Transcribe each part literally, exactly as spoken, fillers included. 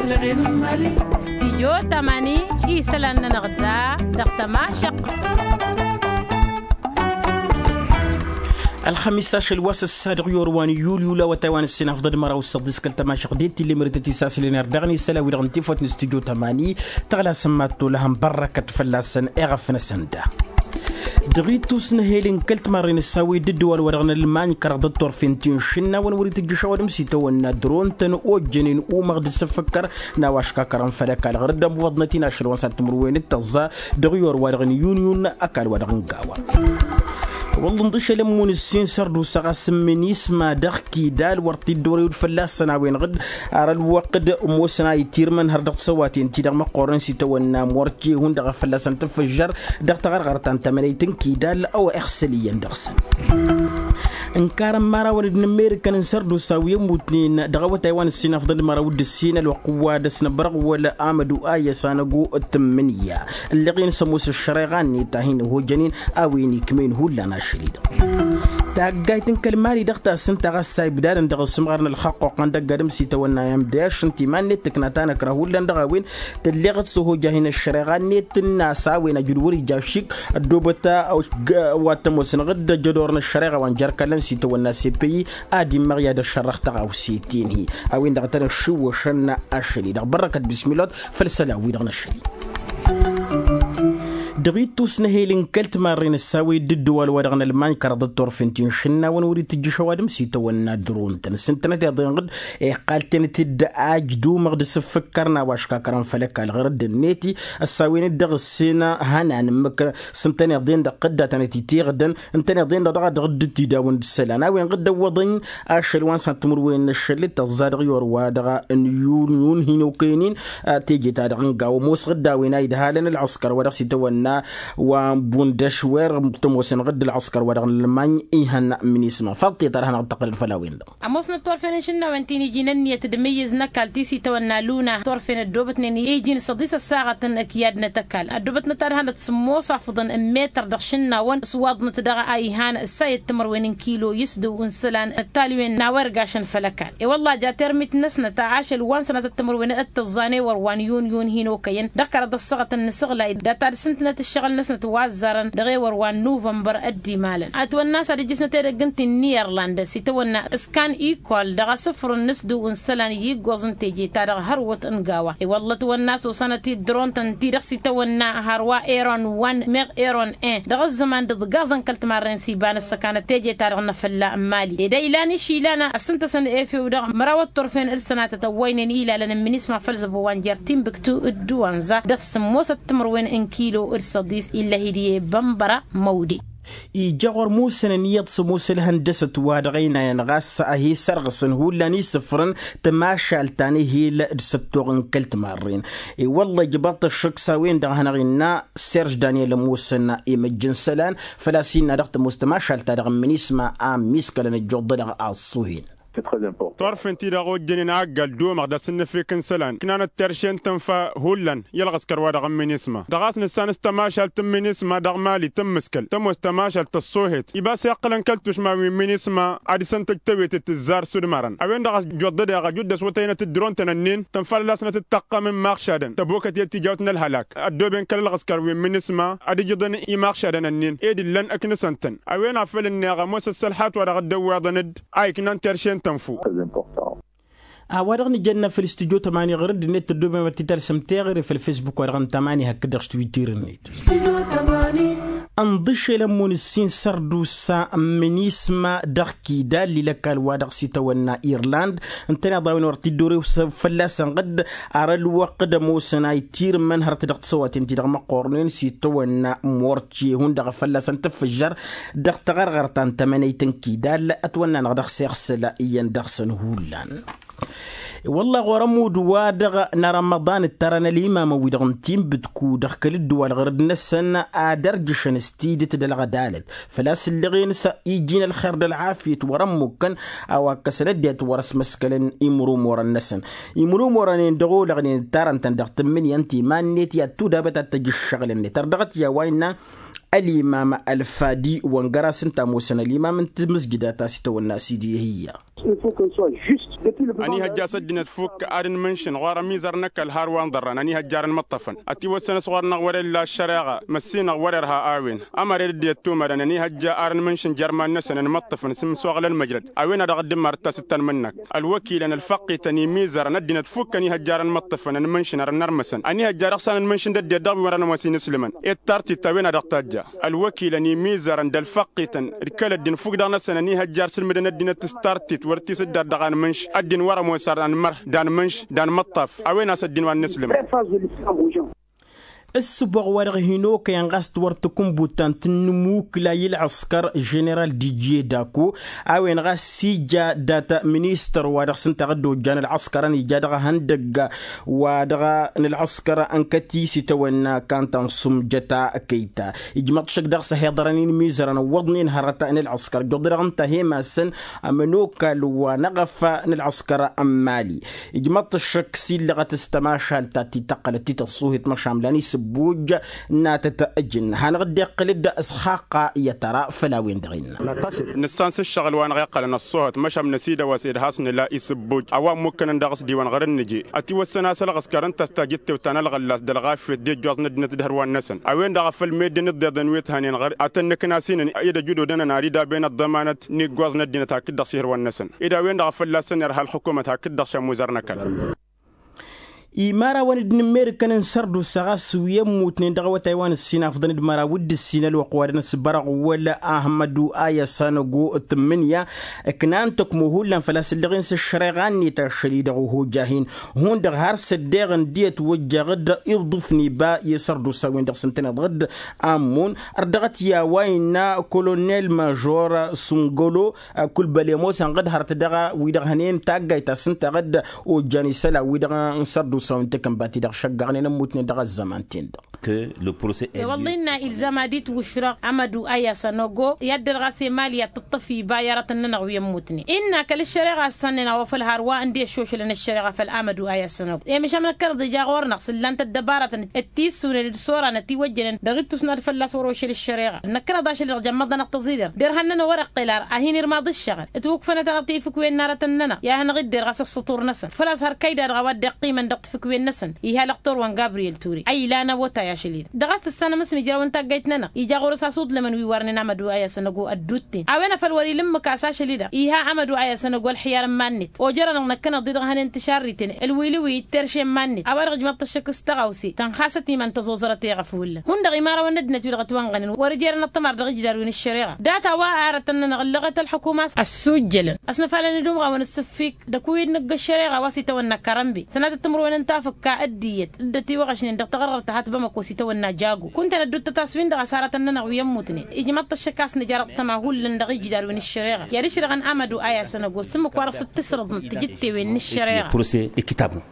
Stijyo tamani isălan-nănăɣ da dăɣ-tămašăq. Ălxămis ašăl wa s-ăssa dăɣ-yorwan yulyul awătay wa n-ǝssin afḍăd măraw s-săḍis kăl-tămašăq d-e t-illa imărătăt isassǝlen erdăɣ n-isălan wi-dăɣ n-tifăt n-stijyo tamani tăɣlasăn mad-tolăhăn bărrăkăt fălla-săn eɣăf-năsăn da. Dăɣ-ittus n-ehel n-kăl-timarren ăssawi d-ǝddǝwal wa dăɣ-nălmañ kăraḍăt turfen ti n-išǝnnawăn wăr-itǝjjǝš ăwadǝm s-itawănna dăr-ontăn ojjănen umăɣ d-asǝffǝkkăr n-a-wa ăškakărăn făll-ăkall ɣur-dd ămmuwăḍnăt-in ašăl wa n-săr timǝrwen d-tăẓẓa dăɣ-iyor-wa-dăɣ n-inyunyun ăkall-wa-dăɣ n-gawa. Wălla ǝnḍǝšăl ămmun ǝssin sărdusa ɣas n-minisma dăɣ-kidal wăr t-dd-orew d-fălla-săn a-wen-dăɣ d-ar ălwăqq d-ămoosăn a itirmăn har dăɣ-tisăwaten-ti-dăɣ măqqoornen s-itawănna morce hundăɣ a fălla-săn tǝffǝžžăr dăɣ-taɣărɣărt ta n-tamănăyt n-kidal a-wa iɣsăl iyyăn dăɣ-săn. Ǝnkarăn imărawăn d-inǝmmerǝkăn n-sărdusa wi ămmutnen dăɣ-awătay wa n-ǝssin afḍăl măraw d-ǝssin ălwăqq wa dăɣ-s năbrăɣwăl amădu a iyyăs anăgo d-tǝmmǝnǝya ǝlleɣ-en s-ămoos ăššăreɣa-net a hin-ăhojănen a-wen ikmen hullan ašăl-i-dăɣ. Taggayt n-kăl-mali dăɣ-tasǝnta ɣas a ibdadăn dăɣ-asǝmɣar n-ălxăqquq n-dăgg-adǝm s-itawănna i-amdăyaš n-timan-net tǝkna ta năkra hullan dăɣ-a-wen tǝlleɣ-dd s-ăhojah-in ăššăreɣa-net tǝnna a-s a-wen ajǝd wăr-ija ašik ăddoobăt wa t-ămoosăn ɣǝdd ăjădor n-ăššăreɣa wa n-jer-kallăn s-itawănna s-e-păyyi ad-immăɣ i-ad-ăššărrăɣ tăɣawse-ten-hi a-wen-dăɣ a tăn-ăššiwwăšăn ašăl-i-dăɣ bărrăkăt bismilot făll-isălan-wi-dăɣ n-ašăl-i. Dăɣ-ittus n-ehel n-kăl-timarren ăssawi d-ǝddǝwal wa dăɣ-nălmañ kăraḍăt turfen ti n-išǝnnawăn wăr-itǝjjǝš ăwadǝm s-itawănna dăr-ontăn s-ǝntănăt iḍen ɣǝd iqqal-ten-t-dd ajǝd umăɣ d-asǝffǝkkăr n-a-wa ăškakărăn făll-ăkall ɣur-dd-net ăssawen-dd dăɣ-ǝssen hănan ǝmmǝk s-ǝntăneḍ-en-dăɣ ɣǝdda tănăt-itiɣdăn ǝntăneḍ-en-dăɣ dăɣ-a dăɣ-dd-tidawăn d-isălan a-wen ɣǝd ăwwăḍăn ašăl wa n-săn timǝrwen n-ašăl d-tăẓẓa dăɣ-iwăr wa dăɣ-n yun-yun hin-okăyăn-in. Teje-ta-dăɣ n-gaw ămoos ɣǝdda a-wen a idhalăn ălɣǝskăr wa dăɣ-s itawănna wa n-bundăš wer tămoosăn ɣǝdd ălɣǝskăr wa dăɣ-n ălmañ ihăn minisma faḍt-i ta dăɣ-hanăɣ-dd-tăqqǝlăd făll-a-wen-dăɣ. Ămoosnăt turfen n-išǝnnawăn ti n-iji n-ǝnniyăt d-imǝyyǝz n-ăkall ti s-itawănna luna turfen ăddoobătnen iji n-săḍis ăssaɣăt n-ăkyad n-tăkall ăddoobătnăt ad-hanăt sǝmmos afǝḍăn n-metăr dăɣ-išǝnnawăn s-waḍnăt dăɣ-a ihan ǝssayăt timǝrwen n-kilo i-s dăw-ǝnsălan ăttalwen n-a-wa irgašăn făll-ăkall. I-wălla ja termit-năsnăt ašăl wa n-sănatăt timǝrwen d-tăẓẓan ewăr wa n-yun-yun hin-okăyăn dăɣ-kăraḍ ăssaɣăt n-inǝsǝɣlay data d-sǝntnăt ǝššăɣǝl-năsnăt wa ăzzarăn dăɣ-ewăr wa n-nuvănbăr ăddimalăn. Ătwănna s-ad-ǝjjǝsnăt edăgg n-ti n-irlanda s-itawănna s-kan ikol dăɣ-asǝfrǝn n-asdǝw n-isălan i-iggoẓ n-teje-ta-dăɣ hărwăt n-gawa i-wălla ătwănna s-osanăt-dd dăr-ontăn-ti-dăɣ s-itawănna hărwa eron wa n-meɣ eron en dăɣ-ăzzăman d-ǝḍgaẓăn kăl-timarren s-iba n-ăssăkanăt teje-ta-dăɣ n-afălla n-mali ed a ilan išilan ăssǝntăsăn efew-dăɣ măraw ăṭṭurfen d-sănatăt ăwwăynen ilalăn n-minisma făll-zăbo wa n-jer-timbǝktu d-duwanza dăɣ-sǝmmosăt timǝrwen n-kilo d-săḍis illăh-dd i-bănbăra măwde. Ija ɣur-musăn ǝnniyăḍ s-ămoos ălhăndăsăt-wa-dăɣ ăynayăn ɣas a hi-sărɣǝsăn hullan isǝfrǝn tămašalt ta n-ehil d-săttoɣ n-kăl-timarren. I-wălla ijbăḍ-t ăššăk s-a-wen-dăɣ a hanăɣ-innă serž daniel ămoosăn imǝjj n-isălan făl-a-s innă dăɣ-tămoos tămašalt-ta-dăɣ n-minisma a ămmiiskălăn ăjjuḍădăɣ a ăṣṣuhen. Turfen-ti-dăɣ ojjănen a ăggal d-omăɣ d-asǝnnǝfek n-isălan ǝknanăt terše n-tǝnfa hullan i-ălɣǝskăr-wa-dăɣ n-minisma dăɣ-a-s nǝssan s-tămašalt n-minisma dăɣ-mali tǝmmǝskăl tămoos tămašalt ăṣṣoohet ibas iqqălăn kăl-tušma wi n-minisma ad-isǝntăj tewet d-tǝzzar s-udmărăn a-wen-dăɣ a-s ăjjuḍădeɣ ăjudda s-wătăynăt d-dăr-ontăn ǝnnin tănfalăl-asnăt d-taqqăm n-imaɣšadăn tăbokăt i-ad-tijawt n-ălhălak ăddooben kăl-ălɣǝskăr wi n-minisma ad-ǝjǝḍăn imaɣšadăn ǝnnin ed ǝllăn ǝknǝsăn-tăn. A-wen a făl ǝnneɣ ămoos ăssălhat-wa-dăɣ dd-ăwweḍăn-dd a iknan terše n-tănfu. A-wa-dăɣ nǝjănna făll-studyo tămani ɣur-dd-net tăddomem ad-t-talsăm teɣăre făll-fesbuk-wa-dăɣ n-tamani hakd-dăɣ s-twitter-net. Ănḍǝšel ămmun ǝssin sărdusa n-minisma dăɣ-kidal i-lăkal-wa-dăɣ s-itawănna irland ǝntăneḍ a-wen wăr t-dd-orew fălla-săn ɣǝdd ar ălwăqq d-ămoosăn a itirǝmmăn hărăt dăɣ-tisăwaten-ti-dăɣ măqqornen s-itawănna morce hundăɣ a fălla-săn tǝffǝžžăr dăɣ-taɣărɣărt ta n-tămănăyt n-kidal ătwănna-năɣ dăɣ-s iɣsăl iyyăn dăɣ-săn hullan. I-wălla ɣur-ămudd wa dăɣ-n arămăḍan ǝttarăn ălimamăn-wi-dăɣ n-tinbǝtku dăɣ-kăl-ǝddǝwal ɣur-dd-năsăn ad-ărjǝšăn s-tidǝt d-ălɣădalăt făl-a-s ǝlleɣ-en s-iji n-ălxer d-ălɣafyăt wăr-ămmukkăn a-wa ǝkkăsăn ăddinăt wăr-ăsmăskălăn imrumurăn-năsăn. Imrumurăn-en dăɣ-olăɣnen ǝttarăn-tăn dăɣ-tǝmmǝnǝya n-timan-net i-ad-tudabăt ad-tăj ǝššăɣǝl-net ărdăɣăt i-a-wa innă ălimam ălfadi wăngăr-as ǝnta ămoosăn ălimam n-timǝzjǝda ta s-itawănna s-idihǝyya. Ilfo kăn s-wa žust. Ănihăjja a-s ăddinăt fukk ad-ǝnmǝnšǝn ɣur-ămizăr n-ăkall har wa n-ḍărran ănihăjja ar ănmăṭṭăfăn. Ătiwăssăn a-s ɣur-năɣ wăr-illa ăššăreɣa măssinăɣ wăr-irha a-wen. Ămăra ed dd-iyyăt tumărăn ănihăjja ar ǝnmǝnšǝn jer-iman-năsăn ănmăṭṭăfăn s-imsoɣăl ălmăjrăd. A-wen-a-dăɣ dd-ǝmmar d-tasǝtta n-imǝnnăk ălwăkilăn ălfăqqităn imizărăn ăddinăt fukk ănihăjja ar ănmăṭṭăfăn ănmǝnšǝn ar ănnărmăsăn ănihăjja dăɣ-san ănmǝnšǝn d-ăddinăt dăɣ-wi wăr-ănămoos inǝslǝmăn. Ed tartit a-wen-a-dăɣ tajja ălwăkilăn imizărăn d-ălfăqqităn d-kăl-ăddin fukk-dăɣ-năsăn ănihăjja ar sǝlmǝdăn ăddinăt s-tartit wăr t-isǝddar dăɣ-anmǝnš ăddin wăr-ămoos ar anmăr d-anmǝnš d-anmăṭṭaf. A-wen a-s ăddin wa n-inǝslǝmăn. Ǝssǝboɣ wa-dăɣ hin-okăyăn ɣas t-wăr tǝkǝnbut ta n-tǝnnǝmukǝla i-ălɣăskăr ženeral dijiye dako a-wen ɣas ija data ministăr wa dăɣ-s ǝnta a dd-ojjan ălɣăskărăn ija dăɣ-ehăndăgg wa dăɣ-nălɣăskăr ănkăt-i s-itawănna kantan sumjăta kăyta. Ijmăḍ šăk dăɣ-s ăhiḍărăn-in imizărăn ǝwwăḍnen hărăt n-ălɣăskăr ǝjjuḍ-dăɣ ǝnta a hem-asăn ămănokal wa n-eɣăf n-ălɣăskăr n-mali. Ijmăḍ-t ăššăk s-illăɣăt s-tămašalt ta t-ităqqălăt tităṣṣuhit măšan lan isǝbbuj n-atăt ǝjǝn hanăɣ-dd-iqqǝl-dd s-xaqqa i-ad-tăra făll-a-wen-dăɣ innă. Nǝssan s-ǝššăɣǝl wa năɣ-iqqălăn ăṣṣuhăt măšan năsidăwăs ed has-nǝla isǝbbuj a-wa ǝmmukănăn dăɣ-s diwăn ɣur-ǝnnǝje. Ătiwăssăn a-s ălɣăskăr ǝnta a-s tajǝttewt ta n-ălɣăllas d-ălɣafyăt d-ijjoẓ n-ăddinăt d-ihărwan-năsăn a-wen-dăɣ a făl meddǝn dd-iḍen wi t-hănen ɣăr-i ad-tăn-nǝknasinăn i-ad-ăjudodănăn ar idaben ăḍḍămanăt n-iggoẓ n-ăddinăt hakd-dăɣ s-ihărwan-năsăn. Ed a-wen-dăɣ a fălla-săn irha ălxukumăt hakd-dăɣ šămmuzăr n-ăkall. Imărawăn d-inǝmmerǝkăn n-sărdusa ɣas wi ămmutnen dăɣ-awătay wa n-ǝssin afḍăn d-măraw d-ǝssin ălwăqq wa dăɣ-năsbărăɣ wăla ahmădu a i-asănăgo tǝmmǝnǝya. Ǝknan tăkmo hullan făl-a-s ǝllăɣen s-ăššăreɣa-net ašăl-i-dăɣ ohoja-hin hundăɣ har s-ăddeɣ ǝndiyăt wăjjeɣ-dd iḍǝf n-iba i-sărdusa-wen-dăɣ s-ǝntăneḍ ɣǝd. Ammun ărdăɣăt i-a-wa innă kolonel mažor sungălo. Kulbăl i-ămoosăn ɣǝd hărăt dăɣ-wi-dăɣ hănen taggayt ta s-ǝnta ɣǝd. Ojjan isălan-wi-dăɣ n-sărdusa wi n-takǝnbat-i-dăɣ šăggăɣnen ămmutnen dăɣ-ăzzăman-ten-dăɣ. Wălla innă ilzam ad-itwǝšrăɣ amădu a i-asănăgo i-ad-dăr ɣas i-mali ad-tǝṭṭăf iba i-aratăn-nănăɣ wi ămmutnen innă kăl-ăššăreɣa a ǝssannăyăn a-wa făl har wa ǝndi ăššošălăn ăššăreɣa făll-amădu a i-asănăgo i-măšan năkkăneḍ ija ɣur-năɣ s-ǝllan-t ăddăbarătăn d-tisunen d-soranăt iwăjjănen dăɣ-ittus n-ad-fălla-s wăr-ošăl ăššăreɣa. Năkkăneḍ ašăl-i-dăɣ jămmăḍ-anăɣ tăẓidert derhan-nănăɣ wăr-iqqel ar a hin-irmaḍ ǝššăɣǝl ǝtwǝkfănăt-anăɣ tayfǝkwen n-aratăn-nănăɣ i-ad-hanăɣ-dd-derɣas ăṣṣătur-năsăn făl-a-s hărkăy-da-dăɣ a-wa dd-iqqimăn dăɣ-tafǝkwen-năsăn. Iha lăqtor wa n-gabriyel ture a ilan awătay ašăl-i-dăɣ dăɣ-a-s tǝssanăm s-mǝjrawăn taggayt-nănăɣ ija ɣur-s asuḍlămăn wi wărnen amădu a i-asănăgo ăddutten a-wen a făl wăr-ila ǝmmǝk a-s ašăl-i-dăɣ iha amădu a i-asănăgo ălxiyar n-iman-net ojărănăɣ năkkăneḍ-i-dăɣ hănen tǝšarriten ălwilǝwi d-terše n-iman-net a-wa-dăɣ ǝjmăḍ-t ăššăk s-tăɣawse tănxasăt iman tăẓoẓărăt i-iɣăf hullan hundăɣ imărawăn n-ăddinăt-wi-dăɣ ătwănɣănen wăr-ijărăn ăṭṭămar dăɣ-ijdar wi n-ăššăreɣa data wa aratăn-nănăɣ ǝllăɣăt ălḥukum a-s ăssuujjălăn ăsnăfalăn d-umɣawăn ǝssǝffik d-akǝwǝy d-nǝgg ăššăreɣa wa s-itawănna karănbe sănatăt timǝrwen n-tafǝkka d-iyyăt dd-ătiwăɣăšnen dăɣ-taɣărɣărt ta hat bamăko s-itawănna jago kunta n-ădduuttăt a-s win-dăɣ a-s aratăn-nănăɣ wi ămmutnen ijmăḍ-t ăššăk a-s nǝjar ăṭṭăma hullan dăɣ-ijdar wi n-ăššăreɣa i-ad-ǝšrăɣăn amădu a i-asănăgo s-ǝmmǝk wa dăɣ-s dd-tisrǝḍnăt tijǝttewen n-ăššăreɣa. Proše ikitabnu.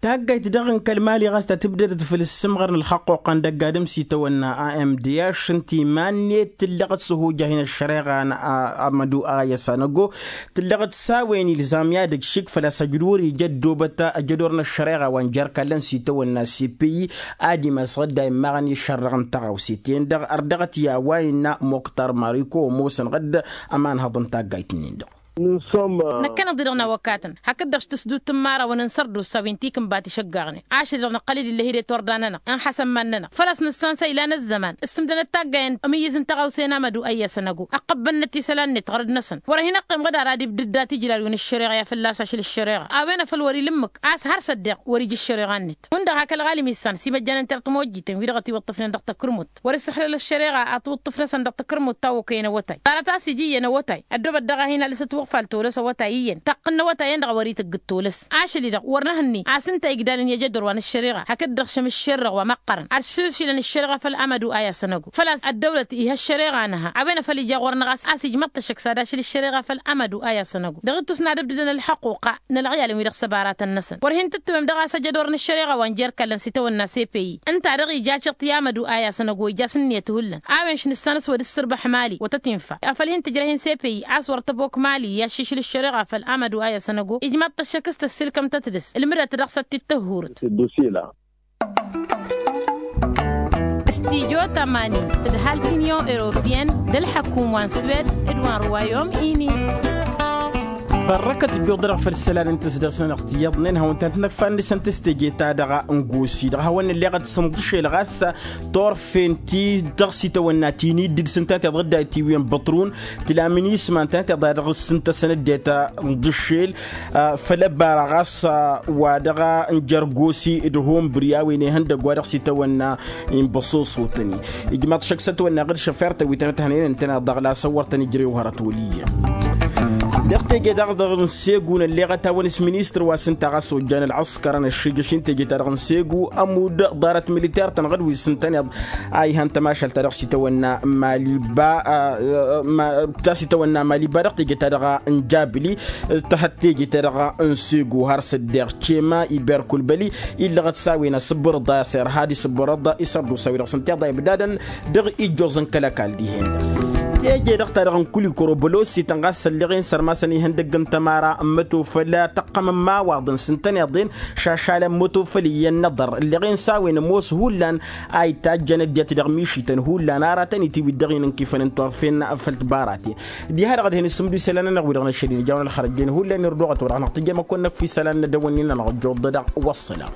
Taggayt daɣ n-kăl-mali ɣas ta tǝbdădăt făll-ǝssǝmɣăr n-ălxăqquqa n-dăgg-adǝm s-itawănna a m d h ǝnta iman-net tǝllăɣ-dd s-ăhojah-in ăššăreɣa n-amădu a i-asănăgo. Tǝllăɣ-dd s-a-wen ilzam i-ad-ǝkšǝk făl-a-s ăjud wăr-ija ăddoobăt ajădor n-ăššăreɣa wa n-jer-kallăn s-itawănna cpi. Ad-imasăɣ-dd a immaɣăn išărrăɣ n-tăɣawse-ten-dăɣ ărdăɣăt i-a-wa innă moktar mariko ămoosăn ɣǝdd ămanhăḍ n-taggayt-nin-dăɣ. Năkkăneḍ-i-dăɣ n-awăkatăn hakd-dăɣ s-tǝsdut n-imărawăn n-sărdusa wi n-tikǝnbat išăggăɣnen ašăl-i-dăɣ năqqăl-dd ill'-e-hi d-etorda-nănăɣ ănxasăn iman-nănăɣ făl-a-s nǝssan s-a ilan ăzzăman s-tǝmdănăt taggayen ămǝyyǝz n-tăɣawse n-amădu a i-asănăgo ăqqăbbănnăt isălan-net ɣărăd-năsăn wăr-hin-ăqqim ɣǝd ara ad-ibdǝd dat-ijlal wi n-ăššăreɣa i-ad-ha fălla-s ašăl ăššăreɣa a-wen a făl wăr-ila ǝmmǝk a-s har s-ăddeɣ wăr-ija ăššăreɣa-net hundăɣ hak ălɣalim issan s-imăjjanen tertămojjiten wi-dăɣ ătiwǝṭṭǝfnen dăɣ-takǝrmut wăr-issăxlăl ăššăreɣa ad-tiwǝṭṭǝf-năsăn dăɣ-takǝrmut ta okăyăn awătay ḍarăt a-s ija iyyăn awătay ăddoobăt dăɣ-a hin-alǝsăt wăɣfal tolăs awătay iyyăn taqqǝn n-awătay-en-dăɣ a wăr-itǝggǝd tolăs ašăl-i-dăɣ wăr nǝhǝnni a-s ǝnta igdalăn i-ajădor wa n-ăššăreɣa hakd-dăɣ šămǝššerrăɣ wa măqqărăn ad-šǝlšǝlăn ăššăreɣa făll-amădu a i-asănăgo făl-a-s ăddăwlăt iha ăššăreɣa nǝha a-wen a făl ija ɣur-năɣ a-s ijmăḍ-t ăššăk s-ad-ašǝl ăššăreɣa făll-amădu a i-asănăgo dăɣ-ittus n-ad-ǝbdǝdăn ălxăqquqa n-ălɣiyalăn wi-dăɣ s-ăbaratăn-năsăn wăr hin-tǝttǝmăm dăɣ-a-s ajădor n-ăššăreɣa wa n-jer-kallăn s-itawănna cpi ǝnta a dăɣ-ija ciṭ i-amădu a i-asănăgo ija s-ǝnniyăt hullan a-wen š-nǝssan s-wăr-dd-sǝrbăḥ mali wa tăt-infa afăl hin-tǝjrăh-in cpi a-s wăr tăbok mali i-aššǝšǝl ăššăreɣa făll-amădu a i-asănăgo ijmăḍ-t ăššăk s-tăssilkăm-tăt dăɣ-s ad-t-dd-tăhhurǝt. Studyo tămanin tǝdhal t-inyon europiyăn d-ălḥăkum wa n-swed d-wa n-ruwayom ini. Ărrăkăt ǝjjuḍ-dăɣ făll-isălan n-tǝsdăɣ s-nănăɣ tiyyăḍnen hawăn-tăn-tǝnăkfan dăɣ-săn tǝstejeta dăɣ-nǝgosi dăɣ-hawăn-nǝlleɣăt s-inḍǝšel ɣas turfen ti dăɣ-s-itawănna ti n-iddǝd s-ǝnta tiḍădda itiwǝyăn băṭrun tǝla minisma ǝnta tiḍa dăɣ-s ǝnta săn ăddinăt n-dăšel. Făll-ăbara ɣas wa dăɣ-nǝjărgosi d-hunbri a-wen ihăndăgg wa dăɣ-s itawănna inbăṣoṣotăn-i ijmaḍ šăkk s-ătwănna ɣǝr šăfer-tăn wi tăn-ăthănăyăn ǝntăneḍ dăɣ-lasăn wăr tăn-ijrăy uhărăt wăl' iyyăn. Dăɣ-teje-ta-dăɣ n-segu nălleɣăt a-wen s-ministăr wa s-ǝnta ɣas ojjan ălɣăskărăn ăššijăš n-teje-ta-dăɣ n-segu ămudd ḍarăt militar-tăn ɣǝd wi s-ǝntăneḍ a ihăn tămašalt-ta-dăɣ s-itawănna maliba ta s-itawănna maliba dăɣ-teje-ta-dăɣ n-jabli. Tăhăt teje-ta-dăɣ n-segu har s-ăddeɣ cema iberkulbăli illăɣăt s-a-wen asǝbbărăḍ a s-irhad isǝbbărăḍ isărdusa wi-dăɣ s-ǝnta iḍa ibdadăn dăɣ-ijjoẓ n-kăl-ăkall dihen-dăɣ. Teje-dăɣ-ta-dăɣ n-kulikoro bălosităn ɣas ălleɣen sărmasăn ihăndăgg n-tămara n-mătofăl tăqqăm n-imawaḍăn s-ǝntăneḍ-en šašalăn mătofăl iyyăn n-aḍăr ǝlleɣen s-a-wen ămoos hullan a itajjăn ăddinăt dăɣ-mišităn hullan aratăn-i tiwit dăɣ-inǝnkifăn n-turfen făll-tibaraten. Diha-dăɣ ad-hin-isǝmdu isălan-nănăɣ wi-dăɣ năššăl-in ija a-wen ălxărăjjen hullan irdăɣăt wa dăɣ-năɣ tǝjjăm ad-kăwăn-năkf isălan n-ad-dăwănnin-nănăɣ ăjjuḍ-dăɣ. Wăssălam.